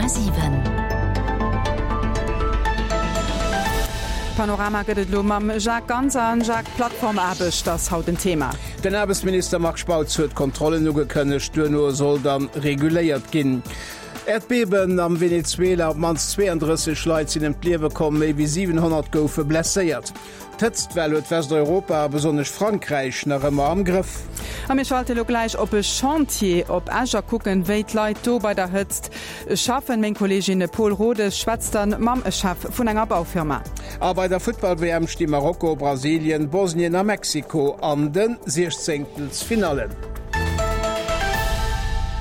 100,7. Panorama gëtt et elo mam Jacques Ganser. Jacques, Plattformaarbecht ass haut en Thema. Den Aarbechtsminister Marc Spautz huet Kontrollen ugekënnegt, duerno soll dann reguléiert ginn. Äerdbeben am Venezuela, op d'mannst 32 Leit sinn ëm d'Liewe komm, méi wéi 700 goufe blesséiert. D'Hëtztwell huet Westeuropa a besonnesch Frankräich nach ëmmer am Grëff. A mir schalte lo gläich op e Chantier op Esch a kucken, wéi d'Leit do bei der Hëtzt schaffen. Meng Kolleegin Paul Rodesch schwätzt dann mam Chef vun enger Baufirma. A bei der Futtball-WM sti Marokko, Brasilien, Bosnien a Mexiko an de Siechzéngtelsfinallen.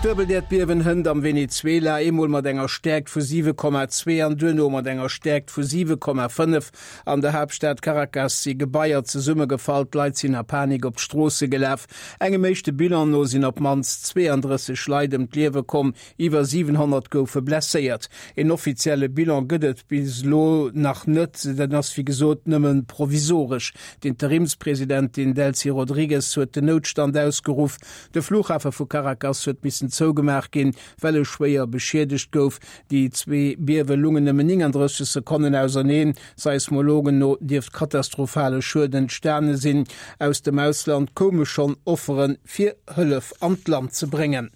Duebelt-Äerdbiewen hënt am Venezuela, eemol mat enger Stäerkt vu 7,2 an duerno mat enger Stäerkt vu 7,5. An der Haaptstad Caracas si Gebaier zesummegefall, d'Leit sinn a Panik op d'Stroosse gelaf. Engem éischte Bilan no sinn op d'mannst 32 Leit ëm d'Liewe komm, iwwer 700 goufe blesséiert. En offizielle Bilan gëtt et bis elo nach net, den ass wéi gesot nëmme provisoresch. D'Interimspresidentin Delcy Rodrigues huet den Noutstand ausgeruff. De Flughafe vu Caracas huet missen zougemaach ginn, well e schwéier beschiedegt gouf. Déi zwee Biewe lungen nëmmen 39 Sekonnen auserneen. Seismologen no dierft katastrophale Schued entstane sinn. Aus dem Ausland koume schonn Offere fir Hëllef an d'Land ze bréngen.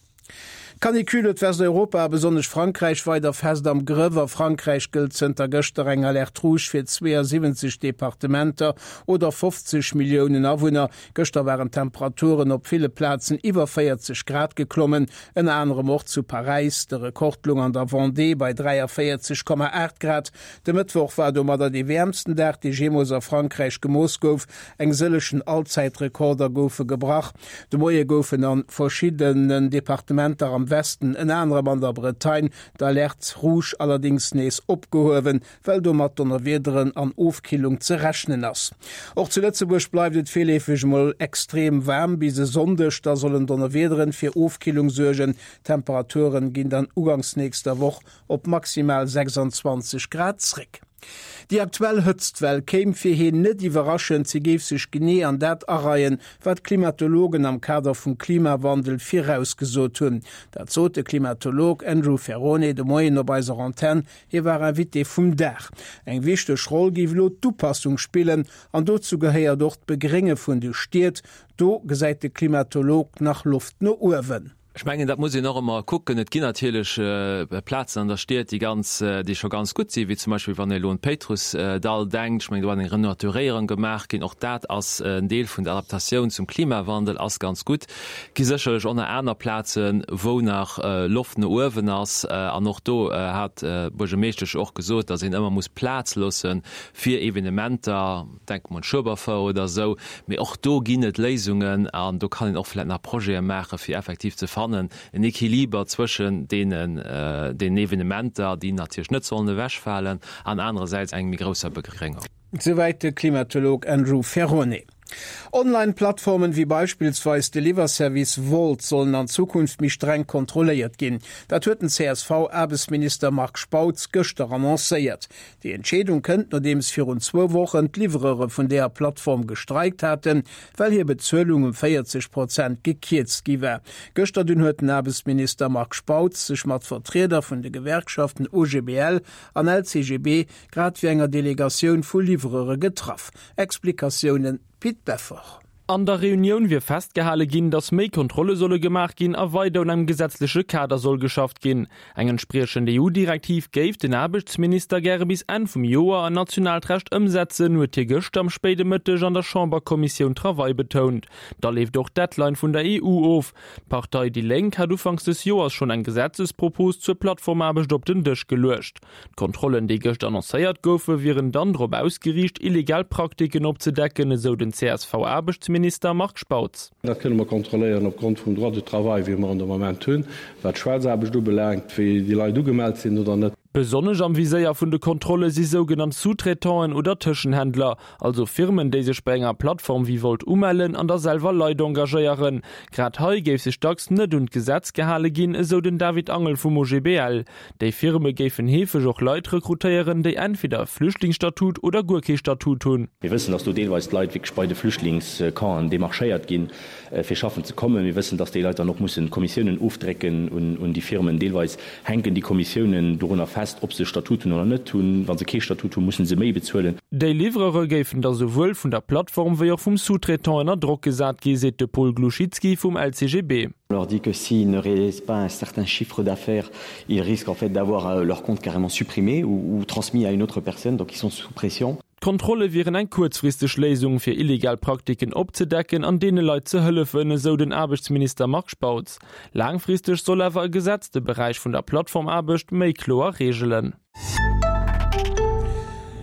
D'Canicule huet Westeuropa a besonnesch Frankräich weider fest am Grëff. A Frankräich gëllt zënter gëschter eng Alerte rouge fir 72 Departementer oder 50 Milliounen Awunner. Gëschter waren d'Temperaturen op ville Plazen iwwer 40 Grad geklommen. Ënner anerem och zu Paräis. De Rekord lung an der Vendée bei 43,8 Grad. De Mëttwoch war domadder dee wäermsten Dag, dee jeemools a Frankräich gemooss gouf. Eng sëllechen Allzäitrekorder goufe gebrach. De Moie goufen a verschiddenen Departementer am Westen, ënner anerem an der Bretagne, d'Alerte rouge allerdéngs nees opgehuewen. well do mat Donnerwiederen an Ofkillung ze rechnen ass. Och zu Lëtzebuerg bleift et virleefeg mol extrem waarm bis e Sonndeg, da sollen Donnerwiederen fir Ofkillung suergen. D'Temperaturen ginn dann ugangs nächster Woch op maximal 26 Grad zréck. Déi aktuell Hëtztwell kéim fir hien net iwwerraschend, si géif sech genee an dat areien, wat d'Klimatologen am Kader vum Klimawandel virausgesot hunn. Dat sot de Klimatolog Andrew Ferrone de Moien op eiser Antenn. Hie war Invité vum Dag. Eng wichteg Roll géif elo d'Upassung spillen an dozou gehéiert och d'Begrénge vun de Stied. Do gesäit de Klimatolog nach Loft no uewen. Ech mengen, dat muss een och ëmmer kucken. Et ginn natierlech Plazen an der Stied, déi ganz, déi scho ganz gutt sinn, wéi zum Beispill wann ee elo un d'Péitrussdall denkt. Ech mengen, do ass eng Renaturéierung gemaach ginn. Och dat ass en Deel vun der Adaptatioun zum Klimawandel, ass ganz gutt. Gi sécherlech och nach aner Plazen, wou nach Loft no uewen ass. An och do hat d'Buergermeeschtesch och gesot, datt een ëmmer muss Plaz loosse fir Evenementer, denke mer un d'Schueberfouer oder esou. Mee och do ginn et Léisungen an do kann een och vläicht nach Projete maachen, fir effektiv ze fannen en Equiliber zwëschen deenen Evenementer, déi natierlech net sollen ewechfalen, an anerersäits eng méi grousser Begréngung. Souwäit de Klimatolog Andrew Ferrone. Online-Plattformen wéi beispillsweis de Liwwerservice Wolt sollen an Zukunft méi streng kontrolléiert ginn. Dat huet den CSV-Aarbechtsminister Marc Spautz gëschter annoncéiert. Déi Entscheedung kënnt, nodeems virun zwou Wochen d'Livreure vun deeër Plattform gestreikt haten, well hir Bezuelung ëm 40 Prozent gekierzt gi war. Gëschter dunn huet den Aarbechtsminister Marc Spautz sech mat Vertrieder vun de Gewerkschaften OGBL an LCGB grad wéi enger Delegatioun vu Livreure getraff. Explikatiounen Pit Beffort. An der Reunioun wier festgehale ginn, datt méi Kontrolle solle gemaach ginn a weider un engem gesetzleche Kader soll geschafft ginn. Eng entspriechend EU-Direktiv géif den Aarbechtsminister gäre bis Enn vum Joer an nationaalt Recht ëmsetzen, huet hie gëschter am spéide Mëtteg an der Chamberkommissioun Travail betount. Da leeft och d'Deadline vun der EU of. D'Partei déi Lénk hat ufanks des Joers schonn eng Gesetzespropos zur Plattformaarbecht op den Dësch geluecht. D'Kontrollen, déi gëscht annoncéiert goufen, wieren dann drop ausgeriicht, illegal Praktiken opzedecken, esou den CSV-Aarbechtsminister Marc Spautz. Dat kënne mer kontrolléieren opgrond vum Droit du travail, wéi mer en de Moment hunn, wat d'Schwaarzaarbecht ubelaangt, wéi déi Leit ugemellt sinn oder net. Besonnesch am Viséier vun de Kontrolle si sougenannt Sous-traitanten oder Tëschenhändler, also Firmen, déi sech bei enger Plattform wéi Wolt umellen an da selwer Leit engagéieren. Grad hei géif sech dacks net un d'Gesetz gehale ginn, esou den David Angel vum OGBL. Déi Firme géifen heefeg och Leit rekrutéieren, déi entweder e Flüchtlingsstatut oder guer kee Statut hunn. Mir wëssen, dass do deelweis d'Leit wierklech bei de Flüchtlingscampen demarchéiert ginn, fir schaffen ze kommen. Mir wëssen, dass déi Leit dann och mussen Kommissiounen ofdrécken un déi Firmen. Deelweis hänken déi Kommissiounen dorunner fest, ob se e Statut hunn oder net hunn. Wa se kee Statut hunn, mussen se méi bezuelen. Déi Livreure géifen da souwuel vun der Plattform wéi och vum Sous-traitant ënner Drock gesat gi, seet de Paul Glouchitski vum LCGB. On leur dit que s'ils ne réalisent pas un certain chiffre d'affaires, ils risquent en fait d'avoir leur compte carrément supprimé ou, ou transmis à une autre personne, donc ils sont sous pression. D'Kontrolle wieren eng kuerzfristeg Léisung, fir illegal Praktiken opzedecken an deene Leit ze hëllefen, esou den Aarbechtsminister Marc Spautz. Laangfristeg soll awer e Gesetz de Beräich vun der Plattformaarbecht méi kloer reegelen.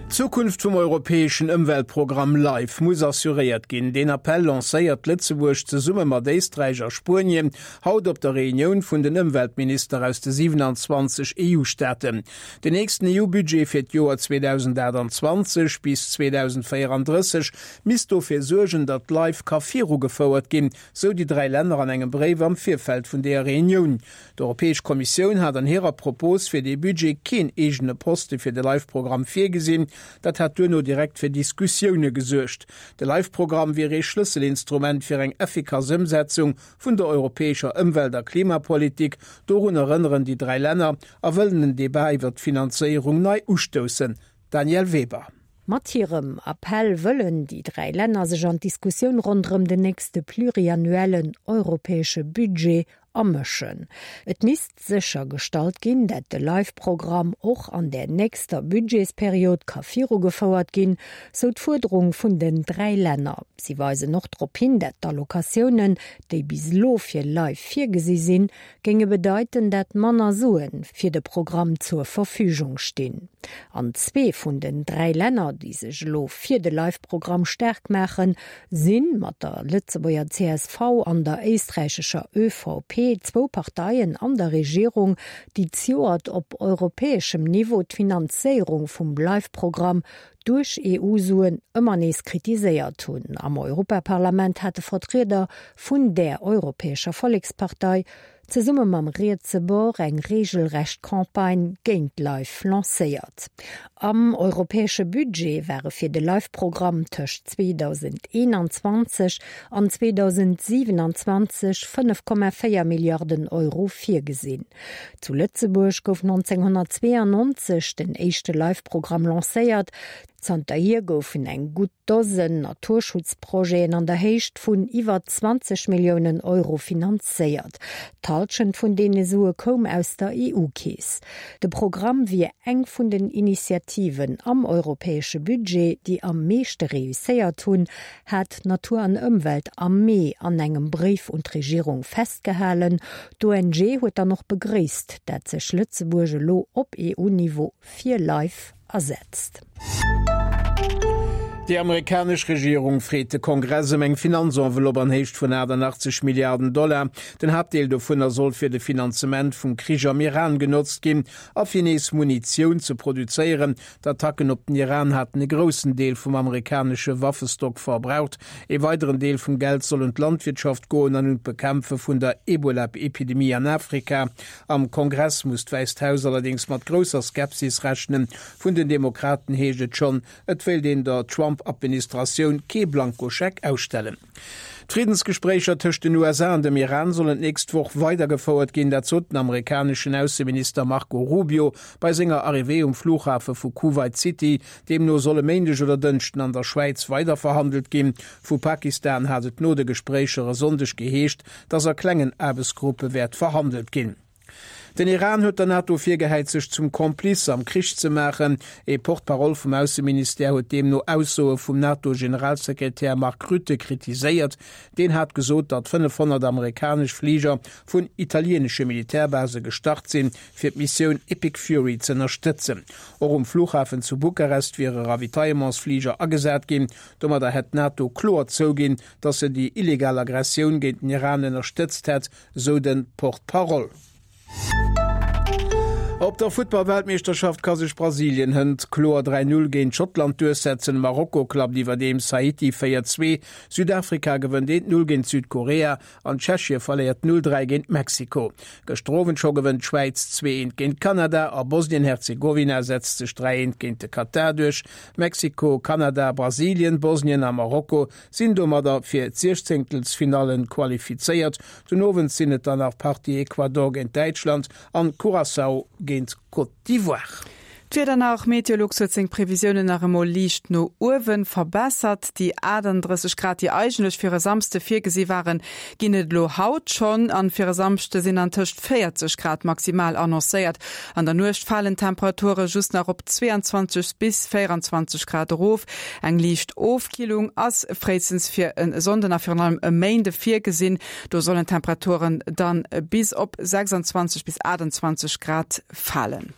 D'Zukunft vum europäeschen Ëmweltprogramm LIFE muss assuréiert ginn. Deen Appell lancéiert Lëtzebuerg zesumme mat Éisträich a Spuenien haut op der Reunioun vun den Ëmweltminister aus de 27 EU-Staaten. Den nächsten EU-Budget fir d'Joer 2028 bis 2034 misst dofir suergen, datt LIFE ka virugefouert ginn, sou déi 3 Länner an engem Bréif am Virfeld vun deeër Reunioun. D'Europäesch Kommissioun hat an hirer Propos fir dee Budget keen eegene Poste fir de LIFE-Programm virgesinn. Dat hat duerno direkt fir Diskussioune gesuergt. De LIFE-Programm wier ee Schlësselinstrument fir eng effikass Ëmsetzung vun der europäescher Ëmwelt a Klimapolitik. Dorun erënneren déi 3 Länner a wëllen den Debat iwwer d'Finanzéierung nei ustoussen. Danièle Weber. Mat hirem Appell wëllen déi 3 Länner sech an d'Diskussioun ronderëm den nächste pluriannuellen europäesche Budget amëschen. Et misst séchergestallt ginn, dat de LIFE-Programm och an där nächster Budgetsperiod ka virugefouert ginn, sou d'Fuerderung vun den 3 Länner. Si weisen och drop hin, dat d'Allocatiounen, déi bis elo fir LIFE virgesi sinn, géinge bedeiten, dat manner Sue fir de Programm zur Verfügung stinn. An zwee vun den 3 Länner, déi sech elo fir de LIFE-Programm staark maachen, si mat der Lëtzebuerger csv an der éisträichescher ÖVP zwou Parteien an der Regierung, déi zejoert op europäeschem Niveau d'Finanzéierung vum LIFE-Programm duerch EU-Suen ëmmer nees kritiséiert hunn. Am Europaparlament hate Vertrieder vun där Europäescher Vollekspartei zesumme mam rietse Bord eng reegelrecht Campagne géint LIFE lancéiert. Am europäesche Budget ware fir de LIFE-Programm tëscht 2021 an 2027 5,4 Milliarden Euro virgesinn. Zu Lëtzebuerg gouf 1992 den éischte LIFE-Programm lancéiert. Zanterhier goufen eng gutt Dosen Naturschutzprojeten an der Héicht vun iwwer 20 Milliounen Euro finanzéiert. D'Hallschent vun deene Sue koum aus der EU-Keess. De Programm wier eng vun den Initiativen am europäesche Budget, déi am meeschte reusséiert hunn, hat Natur an Ëmwelt am Mee an engem Bréif un d'Regierung festgehalen. D'ONG huet dann och begréisst, dat sech Lëtzebuerg elo op EU-Niveau fir Life asetzt. Déi amerikanesch Regierung freet de Kongress ëm eng Finanzenveloppe an Héicht vun 88 Milliarden Dollar. Den Haaptdeel dovunner soll fir de Finanzement vum Krich am Iran genotzt ginn a fir nees Munitioun ze produzéieren. D'Attacken op den Iran haten e groussen Deel vum amerikanesche Waffestock verbraucht. Ee weideren Deel vum Geld soll un d'Landwirtschaft goen an un d'Bekämpfe vun der Ebola-Epidemie an Afrika. Am Kongress muss d'Wäisst Haus allerdéngs mat grousser Skepsis rechnen. Vun den Demokraten heescht et schonn, et wéilt een der Trump-Administratioun kee Blankoscheck ausstellen. D'Friddensgespréicher tëscht den USA an dem Iran sollen d'nächst Woch weidergefouert ginn. Dat sot den amerikaneschen Ausseminister Marco Rubio bei senger Arrivée um Flughafe vu Kuwait City. Deemno soll e Méindeg oder Dënschden an der Schwäiz weiderverhandelt ginn. Vu Pakistan hat et no de Gespréicher e Sonndeg geheescht, datt a klengen Aarbechtsgruppe wäert verhandelt ginn. Den Iran huet der NATO virgehäit, sech zum Complice am Krich ze maachen. Ee Porte-parole vum Ausseministère huet deemno Aussoe vum NATO-Generalsekretär Mark Rutte kritiséiert. Deen hat gesot, datt 500 amerikanesch Fliger vun italieenesche Militärbase gestart sinn, fir d'Missioun Epic Fury z'ënnerstëtzen. Och um Flughafen zu Bukarest wiere Ravitaillementsfliger agesat ginn. Domadder hätt d'NATO kloer zouginn, datt se déi illegal Aggressioun géint den Iran ënnerstëtzt hätt, sou de Porte-parole. Op der Futtball-Weltmeeschterschaft ka sech Brasilien hënt kloer 3, 0 géint Schottland duerchsetzen. Marokko klappt iwwerdeems Haiti 4, 2, Südafrika gewënnt 1, 0 géint Südkorea an Tschechie verléiert 0, 3 géint Mexiko. Gëschter Owend scho gewënnt d'Schwäiz 2, 1 géint Kanada a Bosnien-Herzegowina setzt sech 3, 1 géint de Katar duerch. Mexiko, Kanada, Brasilien, Bosnien a Marokko sinn domadder fir d'Siechzéngtelsfinallen qualifizéiert. Den Owend sinn et dann nach d'Partie Ecuador géint Däitschland an Curaçao géint Côte d'Ivoire. D'Wieder nach, Meteolux huet seng Previsiounen nach emol liicht no uewe verbessert. Déi 38 Grad, déi eigentlech fir e Samsde virgesi waren, ginn et elo haut schonn. An fir e Samschde sinn an tëscht 40 Grad maximal annoncéiert. An der Nuecht falen d'Temperature just nach op 22 bis 24 Grad erof. Eng liicht Ofkillung ass fréistens fir e Sonnden a virun allem e Méinde virgesinn. Do sollen d'Temperaturen dann bis op 26 bis 28 Grad falen.